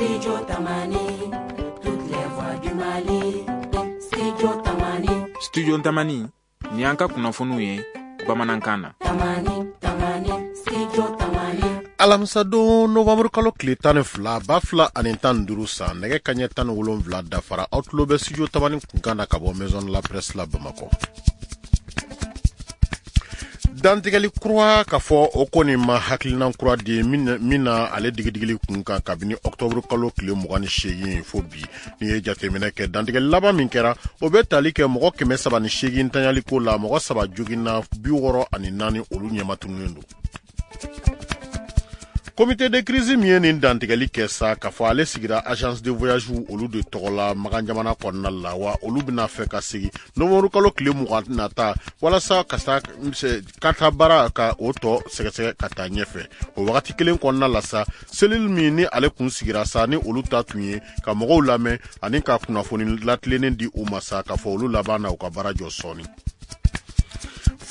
Studio Tamani, toutes les voix du Mali. Studio Tamani. Studio Tamani, ni y'an ka kunnafoniw ye bamanankan na. Tamani, Tamani, Studio Tamani. Alamisadon novembre kalo tile 12 2015 san, nɛgɛ kaɲɛ 17 dafara, aw tulo bɛ Studio Tamani kunkan na ka bɔ Maison de la Presse la Bamakɔ. Dantigɛli kura k'a fɔ o kɔni ma hakilinan kura di min na ale digidigili kun kan kabini octobre kalo tile 28 fo bi. N'i ye jateminɛ kɛ, dantigɛli laban min kɛra, o bɛ tali kɛ mɔgɔ 308 tanyaliko la, mɔgɔ 3 joginna, 64 olu ɲɛmatununnen don. Comité de crise min ye nin dantigɛli kɛ sa, k'a fɔ ale sigira agence de voyage olu de tɔgɔ la Makan jamana kɔnɔna la, wa olu bɛna fɛ ka sigi novembre kalo tile 20 nata walasa ka taa ka taa baara ka o tɔ sɛgɛsɛgɛ ka taa ɲɛfɛ. O wagati kelen kɔnɔna la sa, cellule min ni ale kun sigira sa, ni olu ta tun ye ka mɔgɔw lamɛn ani ka kunnafoni latilennen di u ma sa, k'a fɔ olu laban na u ka baara jɔ sɔɔni.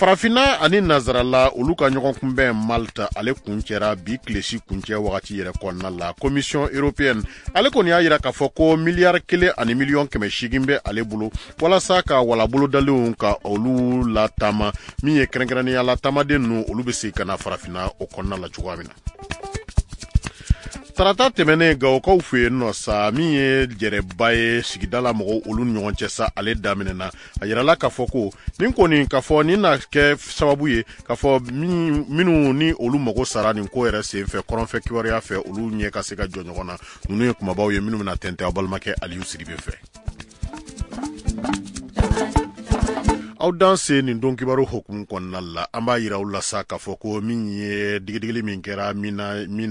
Farafinna ani Nazarala olu ka ɲɔgɔn kunbɛn Malte, ale kuncɛra bi tilesi kuncɛ wagati yɛrɛ kɔnɔna la. Commission européenne ale kɔni y'a yira k'a fɔ ko miliyari kelen ani miliyɔn kɛmɛ seegin bɛ ale bolo walasa ka walabolodalenw ka olu lataama, min ye kɛrɛnkɛrɛnnenya la taamaden ninnu olu bɛ segin ka na farafinna o kɔnɔna la cogoya min na. Tarata tɛmɛnen Gawokaw fɛ yen nɔ sa, min ye jɛrɛba ye sigida la mɔgɔw olu ni ɲɔgɔn cɛ sa, ale daminɛna. A yirala k'a fɔ ko nin kɔni k'a fɔ nin na kɛ sababu ye k'a fɔ minnu ni olu mago sara nin ko yɛrɛ sen fɛ kɔrɔnfɛ kibaruya fɛ, olu ɲɛ ka se ka jɔ ɲɔgɔn na. Ninnu ye kumabaw ye minnu bɛna tɛntɛn aw balimakɛ Aliyu Sidibe fɛ. Aw dan se nin don kibaru hukumu kɔnɔna la, an b'a yira aw la sa k'a fɔ ko min ye digidigili min kɛra min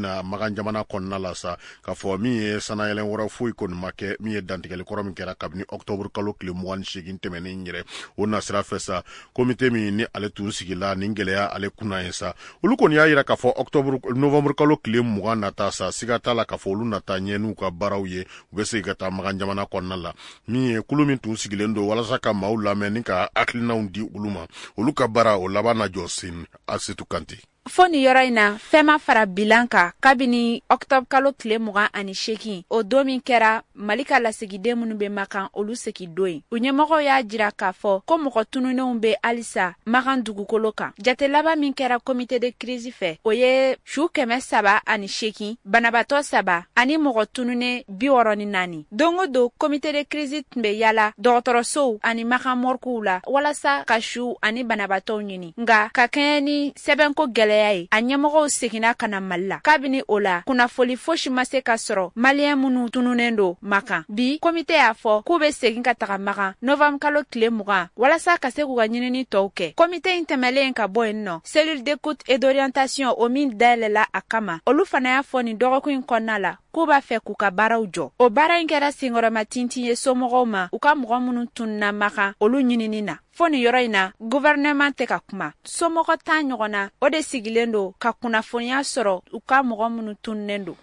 na Makan jamana kɔnɔna la sa, k'a fɔ min ye sanayɛlɛn wɛrɛ foyi kɔni ma kɛ, min ye dantigɛli kɔrɔ min kɛra kabini octobre kalo tile 28 tɛmɛnen yɛrɛ o nasira fɛ sa, komite min ni ale tun sigila nin gɛlɛya ale kunna ye sa, olu kɔni y'a yira k'a fɔ octobre novembre kalo tile 20 nata sa, siga t'a la k'a fɔ olu nata ɲɛ n'u ka baaraw ye, u bɛ segin ka taa Makan jamana kɔnɔna la. Min ye kulu min tun sigilen don walasa ka maaw lamɛn ni ka hakilinaw di olu ma, olu ka baara o laban na jɔ sen. Asetu Kante. Fo nin yɔrɔ in na, fɛn ma fara bilan kan kabini octobre kalo tile 28, o don min kɛra Mali ka lasigiden minnu bɛ Makan olu segin don ye. U ɲɛmɔgɔw y'a jira k'a fɔ ko mɔgɔ tununnenw bɛ halisa Makan dugukolo kan. Jate laban min kɛra comité de crise fɛ, o ye su 308, banabaatɔ 3 ani mɔgɔ tununnen 64. Don o don, comité de crise tun bɛ yala dɔgɔtɔrɔsow ani Makan morguew la walasa ka su ani banabaatɔw ɲini. Nka ka kɛɲɛ ni sɛbɛnko gɛlɛya ye, a ɲɛmɔgɔw seginna ka na Mali la. Kabini o la, kunnafoli fosi ma se ka sɔrɔ Maliyɛn minnu tununnen don Makan. Bi, komite y'a fɔ k'u bɛ segin ka taga Makan novembre kalo tile 20 walasa ka se k'u ka ɲinini tɔw kɛ. Komite in tɛmɛlen ka bɔ yen nɔ, cellule d'écoute et d'orientation o min dayɛlɛla a kama, olu fana y'a fɔ nin dɔgɔkun in kɔnɔna la k'u b'a fɛ k'u ka baaraw jɔ. O baara in kɛra senkɔrɔma tintin ye somɔgɔw ma, u ka mɔgɔ minnu tununna Makan olu ɲinini na. Fo nin yɔrɔ in na, gouvernement tɛ ka kuma. Somɔgɔ 10 ɲɔgɔn na, o de sigilen don ka kunnafoniya sɔrɔ u ka mɔgɔ minnu tununnen don.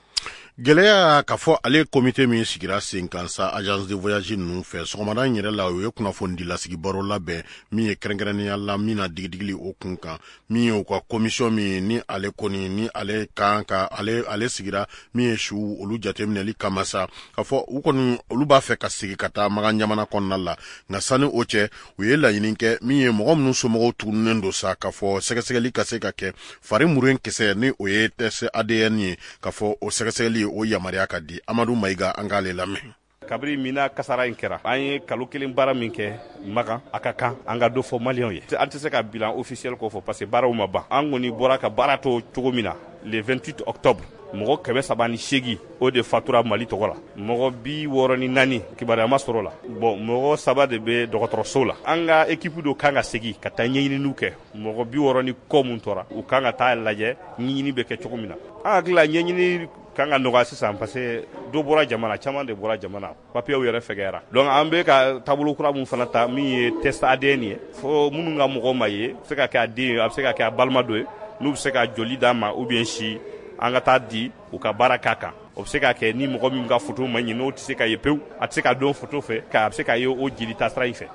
Gɛlɛya k'a fɔ ale komite min sigira sen kan sa agence de voyage ninnu fɛ, sɔgɔmada in yɛrɛ la u ye kunnafonidilasigi baro labɛn min ye kɛrɛnkɛrɛnnenya la min na digidigili o kun kan, min ye u ka commission min ni ale kɔni ni ale kan ka ale sigira min ye su olu jateminɛli kama sa, k'a fɔ u kɔni olu b'a fɛ ka segin ka taa Makan jamana kɔnɔna la. Nka sani o cɛ, u ye laɲini kɛ min ye mɔgɔ minnu somɔgɔw tununnen don sa, k'a fɔ sɛgɛsɛgɛli ka se ka kɛ fari muren kisɛ ni o ye test ADN ye, k'a fɔ o sɛgɛsɛgɛli o yamaruya ka di. Amadu Mayiga, an k'ale lamɛn. Kabini mina kasara in kɛra, an ye kalo kelen baara min kɛ Makan, a ka kan an ka dɔ fɔ maliyɛnw ye. An tɛ se ka bilan officiel kɔ fɔ parce que baaraw ma ban. An kɔni bɔra ka baara to cogo min na le 28 octobre, mɔgɔ 308 o de fatura Mali tɔgɔ la, mɔgɔ 64 kibaruya ma sɔrɔ la. Bon, mɔgɔ 3 de bɛ dɔgɔtɔrɔso la. An ka équipe dɔ kan ka segin ka taa ɲɛɲininiw kɛ. Mɔgɔ bi wɔɔrɔ ni kɔ mun tora, u kan ka taa lajɛ ɲɛɲini bɛ kɛ cogo min na. An hakili la ɲɛɲini kan ka nɔgɔya sisan parce que dɔ bɔra jamana, caman de bɔra jamana, papiyew yɛrɛ fɛgɛyara. Donc an bɛ ka taabolo kura mun fana ta min ye test ADN ye, fo minnu ka mɔgɔ ma ye, a bɛ se ka kɛ a den ye, a bɛ se ka kɛ a balima dɔ ye, n'u bɛ se ka joli d'a ma ou bien si, an ka taa di u ka baara k'a kan. O bɛ se ka kɛ ni mɔgɔ min ka photo ma ɲi, n'o tɛ se ka ye pewu, a tɛ se ka dɔn photo fɛ, a bɛ se ka ye o jeli taasira in fɛ.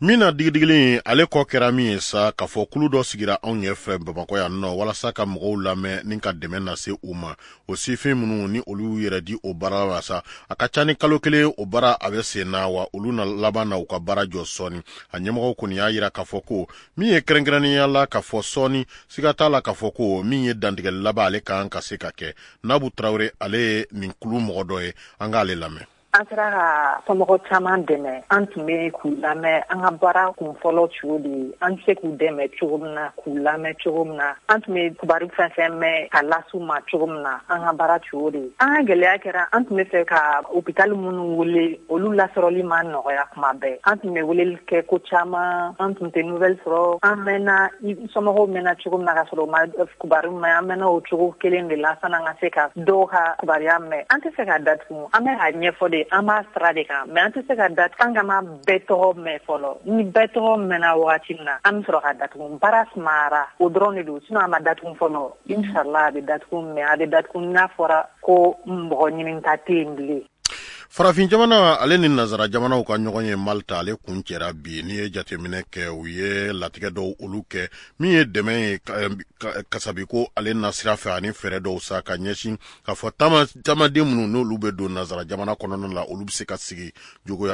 Min na digidigili ale kɔ kɛra min ye sa, k'a fɔ kulu dɔ sigira anw ɲɛfɛ Bamakɔ yan nɔ walasa ka mɔgɔw lamɛn ni ka dɛmɛ lase u ma. O sifin minnu ni olu y'u yɛrɛ di o baara la sa, a ka ca ni kalo kelen o baara a bɛ sen na, wa olu na laban na u ka baara jɔ sɔɔni. A ɲɛmɔgɔw kɔni y'a yira k'a fɔ ko min ye kɛrɛnkɛrɛnnenya la k'a fɔ sɔɔni, siga t'a la k'a fɔ ko min ye dantigɛli laban ale kan ka se ka kɛ. Nabu Tarawele, ale ye nin kulu mɔgɔ dɔ ye, an k'ale lamɛn. An sera ka somɔgɔ caman dɛmɛ. An tun bɛ k'u lamɛn. An ka baara kun fɔlɔ cogo de ye an bɛ se k'u dɛmɛ cogo min na, k'u lamɛn cogo min na. An tun bɛ kibaru fɛn fɛn mɛn ka las'u ma cogo min na, an ka baara cogo de ye. An ka gɛlɛya kɛra, an tun bɛ fɛ ka hôpital minnu wele, olu lasɔrɔli ma nɔgɔya kuma bɛɛ. An tun bɛ weleli kɛ ko caman, an tun tɛ nouvelle sɔrɔ. An mɛnna, somɔgɔw mɛnna cogo min na ka sɔrɔ u ma kibaru mɛn, an mɛnna o cogo kelen de la san'an ka se ka dɔw ka kibaruya mɛn. An tɛ se ka datugu, an bɛ k'a ɲɛfɔ de, an b'a sira de kan, mais an tɛ se ka datugu an kama bɛɛ tɔgɔ mɛn fɔlɔ. Ni bɛɛ tɔgɔ mɛnna wagati min na, an bɛ sɔrɔ ka datugu. Baara sumayara, o dɔrɔn de don, sinon a ma datugu fɔlɔ. Inshallah a bɛ datugu, mais a bɛ datugu n'a fɔra ko mɔgɔ ɲininta tɛ yen bilen. Farafin jamana ale ni nazara jamanaw ka ɲɔgɔn ye Malta, ale kun cɛra bi. N'i ye jateminɛ kɛ, u ye latigɛ dɔw olu kɛ min ye dɛmɛ ye kasabiko ale nasira fɛ, ani fɛɛrɛ dɔw sa ka ɲɛsin k'a fɔ taamaden minnu n'olu bɛ don nazara jamana kɔnɔna la, olu bɛ se ka sigi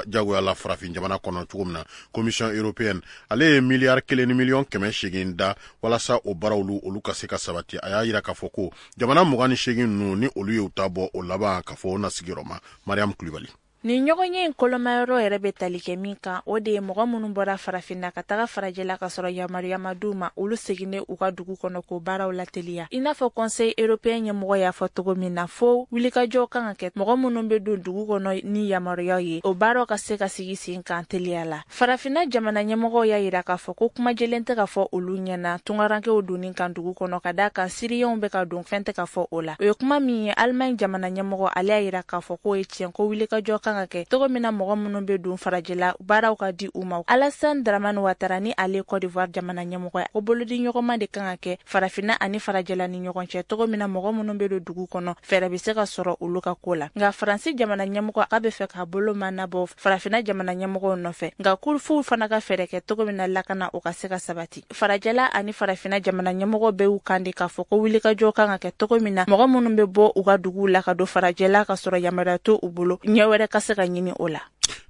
jagoya la farafin jamana kɔnɔ cogo min na. Commission européenne ale ye miliyari 1 ni miliyɔn 800 da walasa o baaraw olu ka se ka sabati. A y'a yira k'a fɔ ko jamana 28 ninnu ni olu y'u ta bɔ, o laban k'a fɔ o na sigiyɔrɔ ma. Mariam Kulibali. Nin ɲɔgɔn ye in kolomayɔrɔ yɛrɛ bɛ tali kɛ min kan, o de ye mɔgɔ minnu bɔra farafinna ka taga farajɛla ka sɔrɔ yamaruya ma d'u ma, olu seginnen u ka dugu kɔnɔ, k'o baaraw lateliya. I n'a fɔ Conseil européen ɲɛmɔgɔ y'a fɔ cogo min na, fo wulikajɔw kan ka kɛ, mɔgɔ minnu bɛ don dugu kɔnɔ ni yamaruyaw ye, o baaraw ka se ka sigi sen kan teliya la. Farafinna jamana ɲɛmɔgɔw y'a yira k'a fɔ ko kumajɛlen tɛ ka fɔ olu ɲɛna tungarankew donni kan dugu kɔnɔ, ka d'a kan siriyɛnw bɛ ka don, fɛn tɛ ka fɔ o la. O ye kuma min ye, Alimaɲi jamana ɲɛmɔgɔ ale y'a yira k'a fɔ k'o ye tiɲɛ, ko wulikajɔ kan ka kɛ cogo min na mɔgɔ minnu bɛ don farajɛla, baaraw ka di u ma. Alassane Dramane Ouattara ni ale Côte d'Ivoire jamana ɲɛmɔgɔ ye, ko bolodi ɲɔgɔnma de kan ka kɛ farafinna ani farajɛla ni ɲɔgɔn cɛ, cogo min na mɔgɔ minnu bɛ don dugu kɔnɔ, fɛɛrɛ bɛ se ka sɔrɔ olu ka ko la. Nka Faransi jamana ɲɛmɔgɔ k'a bɛ fɛ k'a bolo manabɔ farafinna jamana ɲɛmɔgɔw nɔfɛ, nka ko f'u fana ka fɛɛrɛ kɛ cogo min na lakana o ka se ka sabati. Farajɛla ani farafinna jamana ɲɛmɔgɔ bɛɛ y'u kan de k'a fɔ ko wulikajɔ kan ka kɛ cogo min na mɔgɔ minnu bɛ bɔ u ka duguw la ka don farajɛla ka sɔrɔ yamaruya to u bolo, ɲɛ wɛrɛ ka se ka ɲini o la.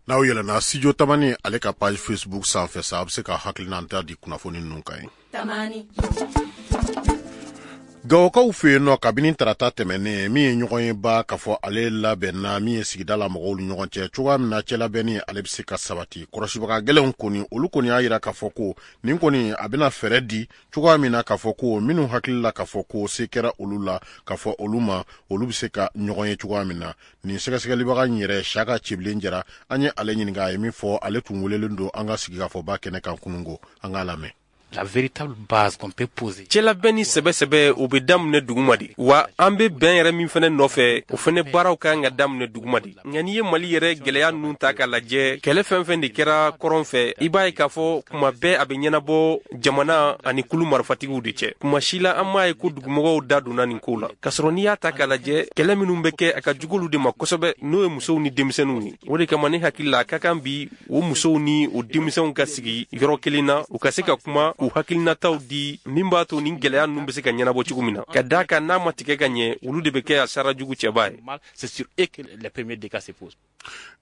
N'aw yɛlɛnna Studio Tamani ale ka page Facebook sanfɛ sa, a bɛ se ka hakilinata di kunnafoni ninnu kan ye. Tamani. Gawokaw fɛ yen nɔ, kabini tarata tɛmɛnen, min ye ɲɔgɔn ye ba k'a fɔ ale labɛnna min ye sigida la mɔgɔw ni ɲɔgɔn cɛ cogoya min na cɛlabɛnni ale bɛ se ka sabati. Kɔlɔsibaga gɛlɛnw kɔni, olu kɔni y'a yira k'a fɔ ko nin kɔni a bɛna fɛɛrɛ di cogoya min na k'a fɔ ko minnu hakili la k'a fɔ ko se kɛra olu la, k'a fɔ olu ma olu bɛ se ka ɲɔgɔn ye cogoya min na. Nin sɛgɛsɛgɛlibaga in yɛrɛ, Saka Cibilen Jara, an ye ale ɲininka, a ye min fɔ, ale tun welelen don an ka sigikafɔba kɛnɛ kan kununko, an k'a lamɛn. La véritable base qu'on peut poser. Cɛlabɛn ni sɛbɛ-sɛbɛ, o bɛ daminɛ duguma de wa. An bɛ bɛn yɛrɛ min fɛnɛ nɔfɛ, o fɛnɛ baaraw ka kan ka daminɛ duguma de. Nka n'i ye Mali yɛrɛ gɛlɛya ninnu ta k'a lajɛ, kɛlɛ fɛn fɛn de kɛra kɔrɔn fɛ, i b'a ye k'a fɔ kuma bɛɛ a bɛ ɲɛnabɔ jamana ani kulu marifatigiw de cɛ. Kuma si la an m'a ye ko dugumɔgɔw da donna nin ko la, k'a sɔrɔ n'i y'a ta k'a lajɛ, kɛlɛ minnu bɛ kɛ, a ka jugu olu de ma kosɛbɛ, n'o ye musow ni denmisɛnninw ye. O de kama ne hakili la, a ka kan bi o musow ni o denmisɛnw ka sigi yɔrɔ kelen na, u ka se ka kuma k'u hakilinataw di min b'a to nin gɛlɛya ninnu bɛ se ka ɲɛnabɔ cogo min na. Ka d'a kan n'a ma tigɛ ka ɲɛ, olu de bɛ kɛ a sara jugu cɛba ye. C'est sur eux que les premiers dégâts se posent.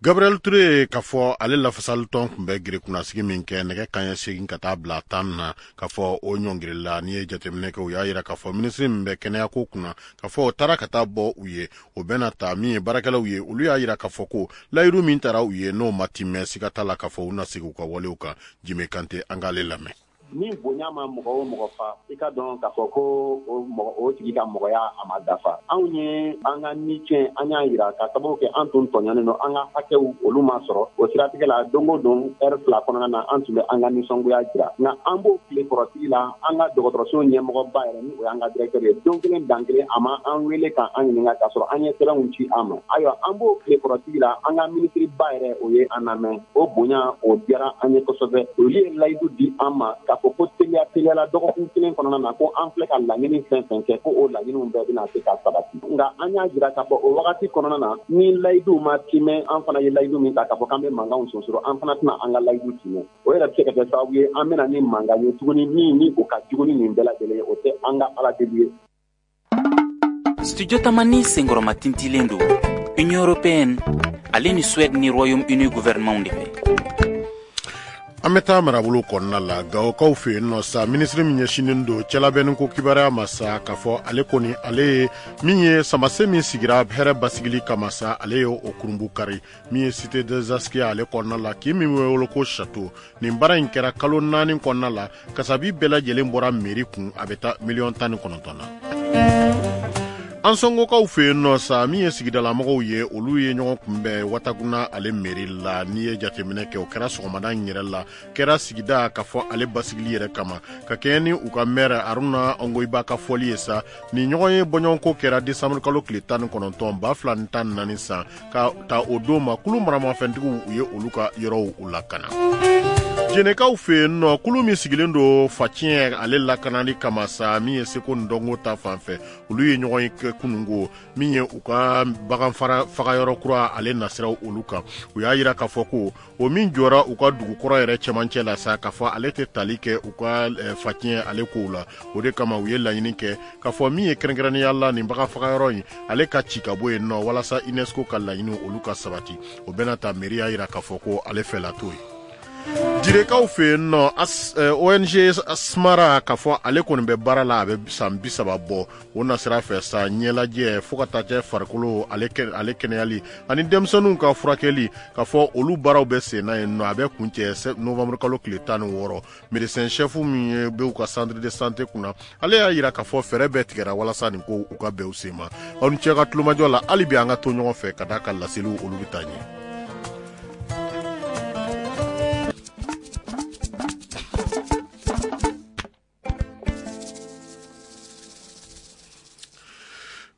Gabriel Touré, k'a fɔ ale lafasalitɔn tun bɛ gere kunnasigi min kɛ nɛgɛ kanɲɛ 8 ka taa bila 10 na, k'a fɔ o ɲɔngirila. N'i ye jateminɛ kɛ, u y'a yira k'a fɔ minisiri min bɛ kɛnɛyako kunna, k'a fɔ o taara ka taa bɔ u ye, o bɛna ta min ye baarakɛlaw ye, olu y'a yira k'a fɔ ko layiru min taara u ye, n'o ma timɛ, siga t'a la k'a fɔ u na segin u ka walew kan. Jime Kante, an k'ale lamɛn. Ni bonya ma mɔgɔ o mɔgɔ fa, i ka dɔn k'a fɔ ko o mɔgɔ o tigi ka mɔgɔya a ma dafa. Anw ye an ka ni tiɲɛ, an y'a yira ka sababu kɛ an tun tɔɲɔnen don, an ka hakɛw olu ma sɔrɔ. O siratigɛ la, don o don ɛri 2 kɔnɔna na, an tun bɛ an ka nisɔngoya jira. Nka an b'o tile kɔrɔtigi la, an ka dɔgɔtɔrɔso ɲɛmɔgɔba yɛrɛ, ni o y'an ka directeur ye, don kelen dan kelen a ma an wele k'an ɲininka k'a sɔrɔ an ye sɛbɛnw ci an ma. Ayiwa, an b'o tile kɔrɔtigi la, an ka minisiriba yɛrɛ, o ye an lamɛn. O bonya o diyara an ye kosɛbɛ. Olu ye layidu di an ma k'a fɔ ko teliya teliyala dɔgɔkun kelen kɔnɔna na ko an filɛ ka laɲini fɛn fɛn kɛ, ko o laɲiniw bɛɛ bɛna se ka sabati. Nka an y'a jira k'a fɔ o wagati kɔnɔna na, ni layiduw ma timɛ, an fana ye layidu min ta k'a fɔ k'an bɛ mankanw sonsoro, an fana tɛna an ka layidu timɛ. O yɛrɛ bɛ se ka kɛ sababu ye an bɛna ni mankan ye tuguni min ni o ka jugu ni nin bɛɛ lajɛlen ye. O tɛ an ka Ala deli ye. Studio Tamani senkɔrɔma tintilen don Union européenne ale ni Suède ni Royaume-Uni gouvernement de fɛ. An bɛ taa marabolo kɔnɔna la, Gawokaw fɛ yen nɔ sa, minisiri min ɲɛsinnen don cɛlabɛnni ko kibaruya ma sa, k'a fɔ ale kɔni, ale ye min ye samase min sigira hɛrɛ basigili kama sa, ale ye o kurunbu kari min ye Cité des Askia ale kɔnɔna la, kin min bɛ wele ko Château. Nin baara in kɛra kalo 4 kɔnɔna la, kasabi bɛɛ lajɛlen bɔra mairie kun, a bɛ taa miliyɔn 19 na. An sɔngokaw fɛ yen nɔ sa, min ye sigidalamɔgɔw ye, olu ye ɲɔgɔn kunbɛn Watakuna ale mairie la. N'i ye jateminɛ kɛ, o kɛra sɔgɔmada in yɛrɛ la, kɛra sigida k'a fɔ ale basigili yɛrɛ kama, ka kɛɲɛ ni u ka maire Aruna Ongoyiba ka fɔli ye sa. Nin ɲɔgɔn ye bɔɲɔgɔnko kɛra décembre kalo tile 19 2014 san. Ka ta o don ma, kulu maramafɛntigiw, u ye olu ka yɔrɔw u lakana. Jɛnɛkaw fɛ yen nɔ, kulu min sigilen don faciyɛn ale lakanali kama sa, min ye seko ni dɔnko ta fan fɛ, olu ye ɲɔgɔn ye kɛ kununko, min ye u ka bagan fagayɔrɔ kura ale nasiraw olu kan. U y'a yira k'a fɔ ko o min jɔra u ka dugukɔrɔ yɛrɛ cɛmancɛ la sa, k'a fɔ ale tɛ tali kɛ u ka faciyɛn ale kow la. O de kama u ye laɲini kɛ k'a fɔ min ye kɛrɛnkɛrɛnnenya la nin bagan fagayɔrɔ in ale ka ci ka bɔ yen nɔ, walasa UNESCO ka laɲini olu ka sabati. O bɛna ta, mairie y'a yira k'a fɔ ko ale fɛla t'o ye. Jirekaw fɛ yen nɔ, ONG Smara, k'a fɔ ale kɔni bɛ baara la, a bɛ san 30 bɔ. O nasira fɛ sa, ɲɛlajɛ fo ka taa kɛ farikolo ale kɛnɛyali ani denmisɛnninw ka furakɛli, k'a fɔ olu baaraw bɛ sen na yen nɔ. A bɛ kuncɛ novembre kalo tile 16. Médecin chef min ye bɛ u ka centre de santé kunna, ale y'a yira k'a fɔ fɛɛrɛ bɛɛ tigɛra walasa nin ko u ka bɛn u sen ma. Aw ni cɛ ka tulomajɔ la, hali bi an ka to ɲɔgɔn fɛ ka d'a ka laseliw olu bɛ taa ɲɛ.